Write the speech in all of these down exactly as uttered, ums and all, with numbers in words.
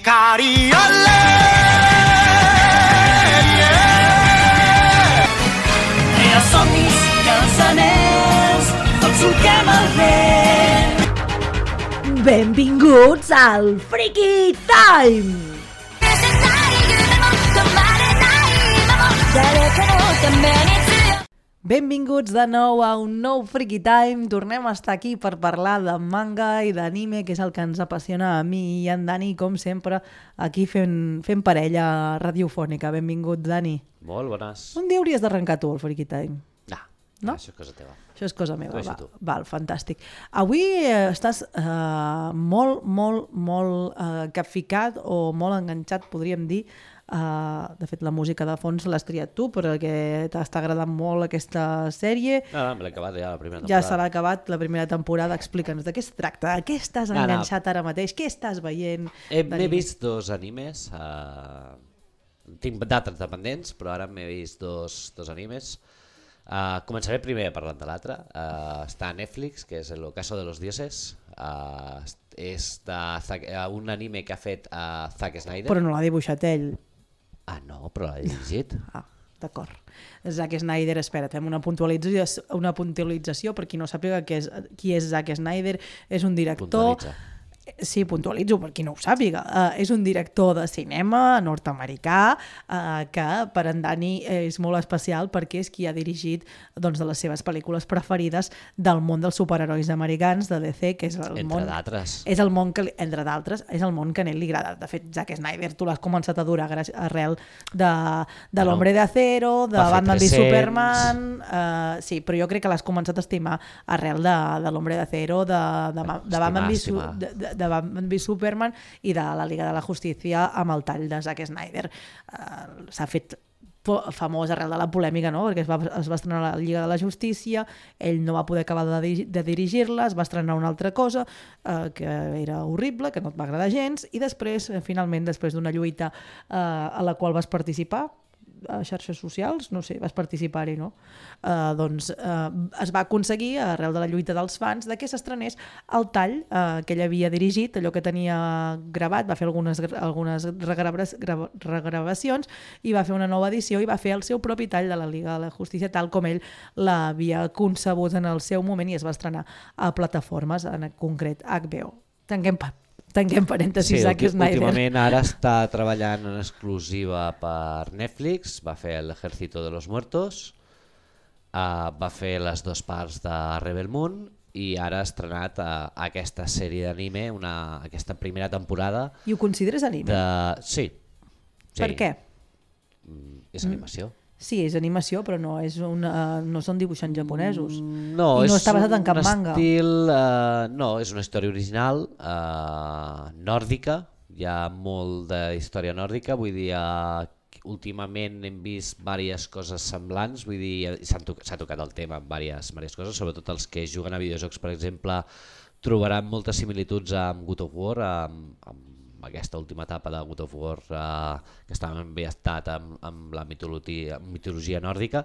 光あれsomnis cançoners, tots truquem al vent. Benvinguts al Freaky Time! Benvinguts de nou a un nou Freaky Time. Tornem a estar aquí per parlar de manga i d'anime, que és el que ens apassiona a mi i en Dani, com sempre, aquí fent, fent parella radiofònica. Benvingut, Dani. Molt bones. Un dia hauries d'arrencar tu el Freaky Time. No, no? Això és cosa teva. Això és cosa meva, va. Tu. Val, fantàstic. Avui eh, estàs eh, molt, molt, molt eh, capficat o molt enganxat, podríem dir. Uh, de fet, la música de fons l'has triat tu, perquè t'està agradant molt aquesta sèrie. No, no, me l'he acabat ja la primera temporada. Ja se l'ha acabat la primera temporada. Explica'ns de què es tracta, de què estàs no, enganxat no. ara mateix, què estàs veient? He, m'he vist dos animes, uh, tinc d'altres dependents, però ara m'he vist dos, dos animes. Uh, començaré primer parlant de l'altre. Uh, està a Netflix, que és El ocaso de los dioses. Uh, és de, uh, un anime que ha fet uh, Zack Snyder. Però no l'ha dibuixat ell. Ah, no, però l'ha dirigit. Ah, d'acord. Zack Snyder, espera't, fem una puntualització, una puntualització per qui no sàpiga qui és, qui és Zack Snyder. És un director... Puntualitza. Sí, puntualitzo per qui no ho sàpiga. Uh, és un director de cinema nord-americà uh, que per en Dani és molt especial perquè és qui ha dirigit doncs, de les seves pel·lícules preferides del món dels superherois americans, de D C, que és el entre món... d'altres. És el món que, entre d'altres, és el món que a ell li agrada. De fet, Zack Snyder, tu l'has començat a adorar arrel de, de Bueno, l'Hombre de Acero, de Batman v tres cents. Superman... Uh, sí, però jo crec que l'has començat a estimar arrel de, de l'Hombre de Acero, de, de, de, de Batman v Superman... De, de, de Batman v Superman i de la Liga de la Justícia amb el tall de Zack Snyder. Uh, s'ha fet famós arrel de la polèmica, no? Perquè es va, es va estrenar la Lliga de la Justícia, ell no va poder acabar de, de dirigir-la, es va estrenar una altra cosa uh, que era horrible, que no et va agradar gens, i després, finalment, després d'una lluita uh, a la qual vas participar, a xarxes socials, no sé, vas participar-hi, no? Uh, doncs uh, es va aconseguir, arrel de la lluita dels fans, de que s'estrenés el tall uh, que ell havia dirigit, allò que tenia gravat, va fer algunes, algunes regravacions i va fer una nova edició i va fer el seu propi tall de la Liga de la Justícia, tal com ell l'havia concebut en el seu moment i es va estrenar a plataformes, en concret H B O. Tanquem pa. Tanquem parèntesis, sí, Zack Snyder. Últimament ara està treballant en exclusiva per Netflix, va fer l'Ejército de los Muertos, uh, va fer les dues parts de Rebel Moon i ara ha estrenat uh, aquesta sèrie d'anime, aquesta primera temporada. I ho consideres anime? De... Sí, sí. Per què? Mm, és animació. Mm. Sí, és animació, però no, és una, no són dibuixants japonesos. No, I no és està basat en cap un manga. Estil, uh, no, és una història original, uh, nòrdica, hi ha molt d'història nòrdica, vull dir, uh, últimament hem vist diverses coses semblants, vull dir, s'ha tocat, tocat el tema amb diverses, diverses coses, sobretot els que juguen a videojocs, per exemple, trobaran moltes similituds amb God of War, amb, amb aquesta última etapa de God of War uh, que estava ambientat amb, amb la mitologia, mitologia nòrdica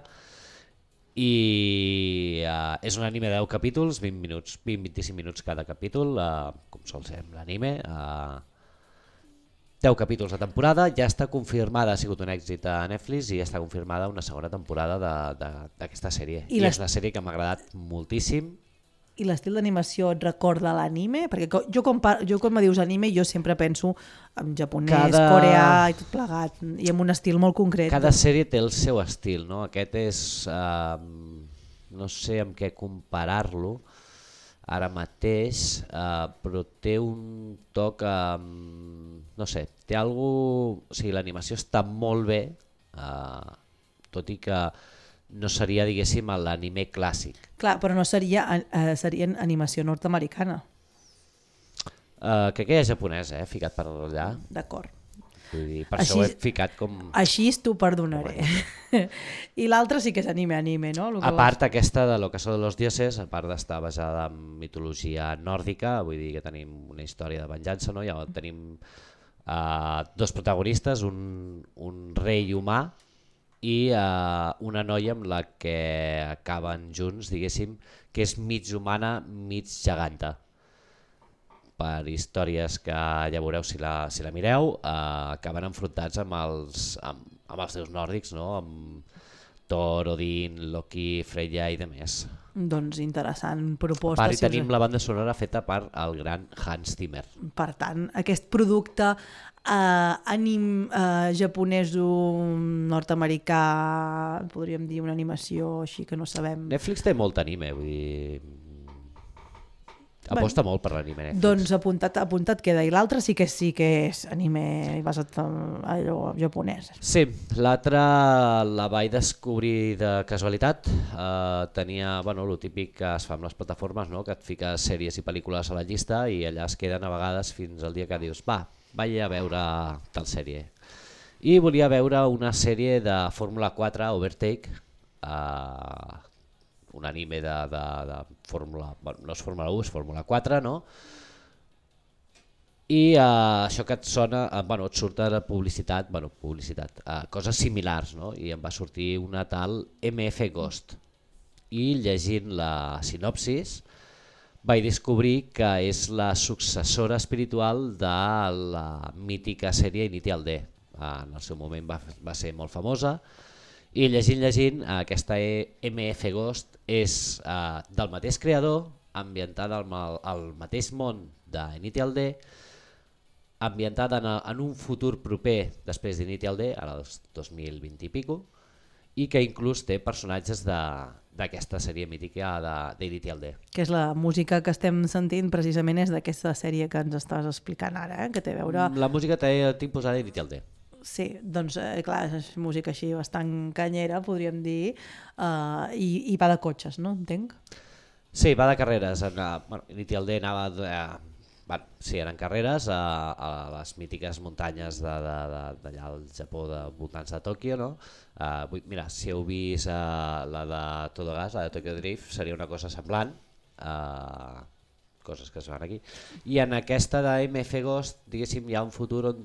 i uh, és un anime de deu capítols, vint minuts, vint a vint-i-cinc minuts cada capítol, uh, com sol ser amb l'anime, uh, deu capítols de temporada, ja està confirmada, ha sigut un èxit a Netflix i ja està confirmada una segona temporada d'aquesta sèrie. I, I és una sèrie que m'ha agradat moltíssim. I l'estil d'animació et recorda l'anime? Perquè jo quan, jo quan me dius anime jo sempre penso en japonès, cada... coreà i tot plegat, i amb un estil molt concret. Cada sèrie té el seu estil, no? Aquest és, uh, no sé amb què comparar-lo ara mateix, uh, però té un toc, uh, no sé, té algú, o sigui, l'animació està molt bé, uh, tot i que no seria, diguéssim, l'anime clàssic. Clar, però no seria, eh, seria animació nord-americana. Uh, crec que hi ha japonès, eh, ficat per allà. D'acord. Vull dir, per així, això ho he ficat com... Així t'ho perdonaré. Bueno. I l'altre sí que és anime-anime, no? A part aquesta de l'Ocaso de los Dioses, a part d'estar basada en mitologia nòrdica, vull dir que tenim una història de venjança, no? Ja tenim uh, dos protagonistes, un, un rei humà i uh, una noia amb la que acaben junts, diguéssim, que és mig humana, mig geganta. per històries que ja veureu si la, si la mireu, eh, acaben enfrontats amb els, amb, amb els déus nòrdics, no? Amb Thor, Odin, Loki, Freya i demés. Doncs interessant proposta. A part, si hi tenim us... la banda sonora feta per el gran Hans Zimmer. Per tant, aquest producte eh, ànim eh, japonès nord-americà, podríem dir una animació així que no sabem... Netflix té molt anime, vull dir... Aposta molt per l'anime Netflix. Doncs apuntat, apuntat queda. I l'altre sí que sí que és anime basat en allò japonès. Sí, l'altre la vaig descobrir de casualitat. Uh, tenia, bueno, el típic que es fa amb les plataformes, no? Que et fiques sèries i pel·lícules a la llista i allà es queden a vegades fins al dia que dius va, vaig a veure tal sèrie. I volia veure una sèrie de Fórmula quatre, Overtake, uh, un anime de, de, de Fórmula, bueno, no és Fórmula u, és Fórmula quatre, no? I uh, això que et sona, uh, bueno, et surt de publicitat, bueno, publicitat, uh, coses similars, no? I em va sortir una tal M F Ghost. I llegint la sinopsis vaig descobrir que és la successora espiritual de la mítica sèrie Initial D. Uh, en el seu moment va, va ser molt famosa. I llegint, llegint, aquesta M F Ghost és uh, del mateix creador, ambientada al, al mateix món d'Initial D, ambientada en, en un futur proper després d'Initial D, ara el dos mil vint i pico, i que inclús té personatges d'aquesta sèrie mítica d'Initial D. Que és la música que estem sentint precisament és d'aquesta sèrie que ens estàs explicant ara, eh? Que té a veure... La música té tinc posada Initial D. Sí, doncs eh, clar, és música així bastant canyera, podríem dir, uh, i, i va de cotxes, no? Entenc? Sí, va de carreres. En, uh, bueno, Initial D anava... De, uh, bueno, sí, eren carreres a, a les mítiques muntanyes d'allà al Japó, de voltants de Tòquio, no? Uh, mira, si heu vist uh, la de Todo Gas, la de Tokyo Drift, seria una cosa semblant. Uh, coses que es van aquí, i en aquesta de M F Ghost, diguéssim, hi ha un futur on,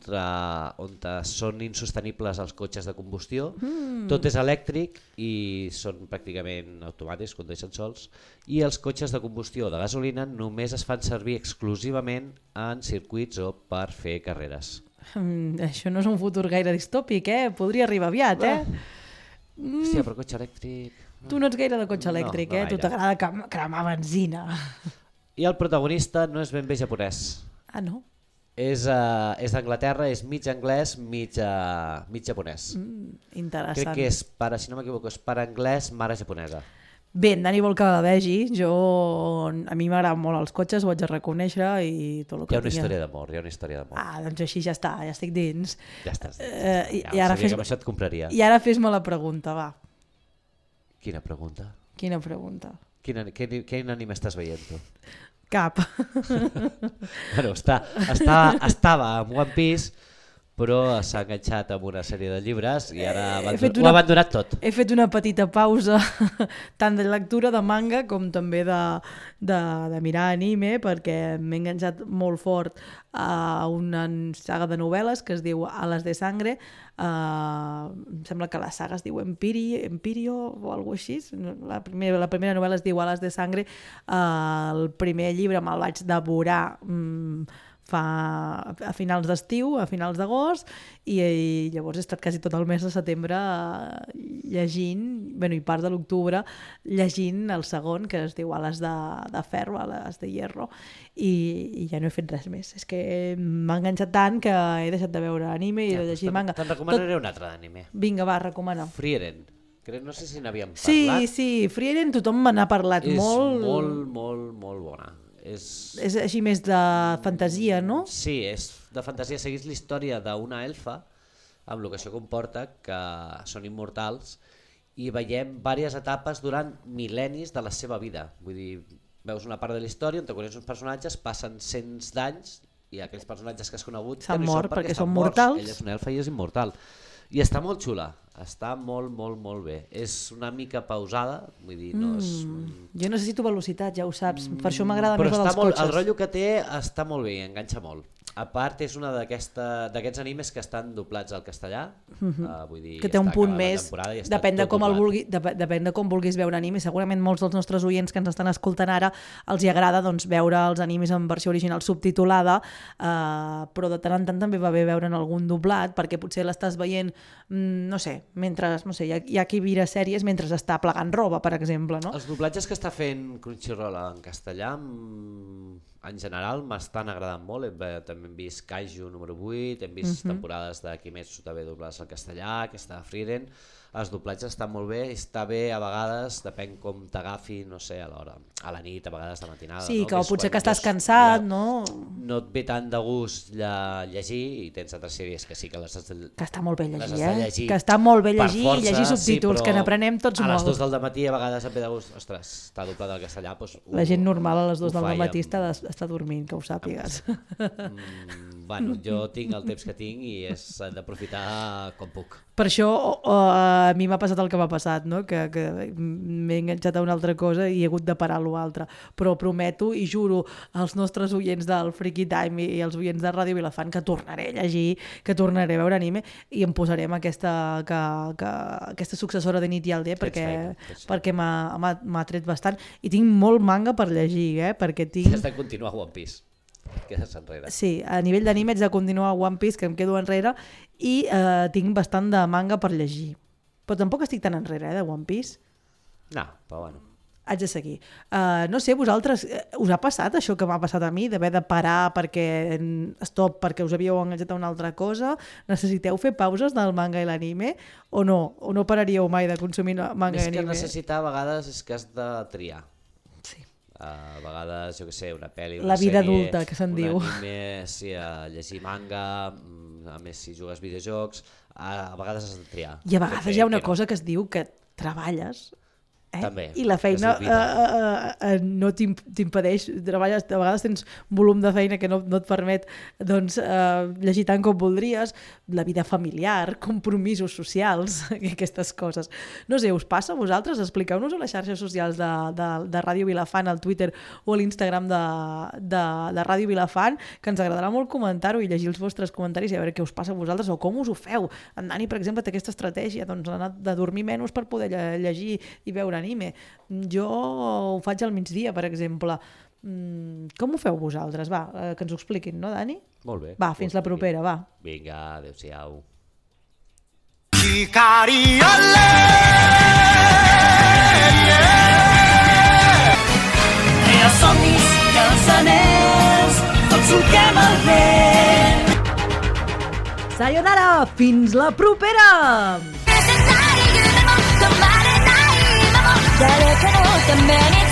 on són insostenibles els cotxes de combustió, mm. tot és elèctric i són pràcticament automàtics, condueixen sols, i els cotxes de combustió de gasolina només es fan servir exclusivament en circuits o per fer carreres. Mm, això no és un futur gaire distòpic, eh? Podria arribar aviat, eh? Mm. Hòstia, però cotxe elèctric... Tu no ets gaire de cotxe elèctric, no, no eh? Tu t'agrada cremar benzina. I el protagonista no és ben bé japonès. Ah, no? És, uh, és d'Anglaterra, és mig anglès, mig, uh, mig japonès. Mm, interessant. Crec que és pare, si no m'equivoco, és pare anglès, mare japonesa. Bé, en Dani vol que la vegi. Jo, a mi m'agraden molt els cotxes, ho haig de reconèixer. I tot el que hi ha una tinga... història d'amor, hi ha una història d'amor. Ah, doncs així ja està, ja estic dins. Ja estàs dins. Uh, i, ja, i ara fes... que amb això et compraria. I ara fes-me la pregunta, va. Quina pregunta? Quina pregunta? Quin, quin, quin anime estàs veient tu? Cap. Bueno, està, està, estava amb One Piece, però s'ha enganxat amb una sèrie de llibres i ara abandon... una... ho ha abandonat tot. He fet una petita pausa tant de lectura de manga com també de, de, de mirar anime, perquè m'he enganxat molt fort a una saga de novel·les que es diu Alas de Sangre. Uh, em sembla que la saga es diu Empiri, Empirio o alguna cosa així. La primera, la primera novel·la es diu Alas de Sangre. Uh, el primer llibre me'l vaig devorar um, fa a finals d'estiu, a finals d'agost, i, i llavors he estat quasi tot el mes de setembre llegint, bueno, i part de l'octubre, llegint el segon, que es diu Ales de, de Ferro, Ales de Hierro, i, i ja no he fet res més. És que m'ha enganxat tant que he deixat de veure anime i ja, de llegir manga. Te'n recomanaré tot... un altre d'anime. Vinga, va, recomana. Frieren. No sé si n'havíem parlat. Sí, sí, Frieren tothom me n'ha parlat és molt. És molt, molt, molt bona. És... és així més de fantasia, no? Sí, és de fantasia. Seguís la història d'una elfa, amb el que això comporta, que són immortals, i veiem diverses etapes durant mil·lennis de la seva vida. Vull dir, veus una part de la història on te coneixes uns personatges, passen cents d'anys, i aquells personatges que has conegut s'han mort perquè, perquè són morts. mortals. Ella és una elfa i és immortal. I està molt xula, està molt, molt, molt bé. És una mica pausada, vull dir, no és... Mm, jo necessito velocitat, ja ho saps, per això m'agrada més la dels molt, cotxes. El rotllo que té està molt bé, enganxa molt. A part, és una d'aquests animes que estan doblats al castellà, mm-hmm. uh, vull dir, que té un punt més, depèn de, com el vulgui, dep depèn de com vulguis veure anime. Segurament molts dels nostres oients que ens estan escoltant ara els hi agrada doncs, veure els animes en versió original subtitulada, uh, però de tant en tant també va bé veure'n algun doblat, perquè potser l'estàs veient, mm, no sé, mentre, no sé, hi ha, hi ha qui mira sèries mentre està plegant roba, per exemple, no? Els doblatges que està fent Crunchyroll en castellà, en general m'estan agradant molt. Hem, també hem vist Kaiju número vuit, hem vist uh-huh. temporades de Kimetsu també doblades al castellà, aquesta de Frieren. Els doblatges estan molt bé, està bé a vegades, depèn com t'agafi, no sé, a l'hora, a la nit, a vegades de matinada. Sí, no? que, que potser que estàs ja, cansat, ja, no? No et ve tant de gust lle llegir, i tens altres sèries que sí que les has de, que està molt bé llegir, eh? llegir que està molt bé llegir força, i llegir subtítols, sí, que n'aprenem tots molt. A les dues del matí a vegades et ve de gust, ostres, està doblat al castellà, doncs... La gent normal a les dues del matí està, està dormint, que ho sàpigues. Mm, bueno, jo tinc el temps que tinc i és d'aprofitar com puc. Per això uh, a mi m'ha passat el que m'ha passat, no? que, que m'he enganxat a una altra cosa i he hagut de parar l'altra. Però prometo i juro als nostres oients del Freaky Time i als oients de Ràdio Vilafant que tornaré a llegir, que tornaré a veure anime i em posarem aquesta, que, que, aquesta successora de Nit i el Dia perquè, perquè m'ha tret bastant. I tinc molt manga per llegir, eh? perquè tinc... Has de continuar One Piece. Quedes enrere. Sí, a nivell d'anime haig de continuar One Piece, que em quedo enrere, i eh, tinc bastant de manga per llegir. Però tampoc estic tan enrere, eh, de One Piece. No, però bueno. Haig de seguir. Uh, no sé, vosaltres, us ha passat això que m'ha passat a mi, d'haver de parar perquè stop, perquè us havíeu enganxat a una altra cosa? Necessiteu fer pauses del manga i l'anime? O no? O no pararíeu mai de consumir manga Més i anime? Més que necessitar, a vegades, és que has de triar. Sí. Uh, a vegades, jo què sé, una pel·li, La una vida sèrie, adulta, que se'n diu. Un anime, sí, a llegir manga, a més si jugues videojocs, a, a vegades has de triar. I a vegades hi ha una cosa que es diu que treballes, eh? També, i la feina uh, uh, uh, no t'impedeix, treballes, a vegades tens volum de feina que no, no et permet doncs, uh, llegir tant com voldries, la vida familiar, compromisos socials, aquestes coses. No sé, us passa a vosaltres? Expliqueu-nos a les xarxes socials de, de, de Ràdio Vilafant, al Twitter o a l'Instagram de, de, de Ràdio Vilafant, que ens agradarà molt comentar-ho i llegir els vostres comentaris i a veure què us passa a vosaltres o com us ho feu. En Dani, per exemple, té aquesta estratègia doncs, de dormir menys per poder llegir i veure anime. Jo ho faig al migdia, per exemple. Com ho feu vosaltres? Va, que ens ho expliquin, no, Dani? Molt bé. Va, fins la propera, va. Vinga, adéu-siau. Hikari alle Era somnis, cançoners, tots solquem el vent. Sayonara, fins la propera! 誰かのために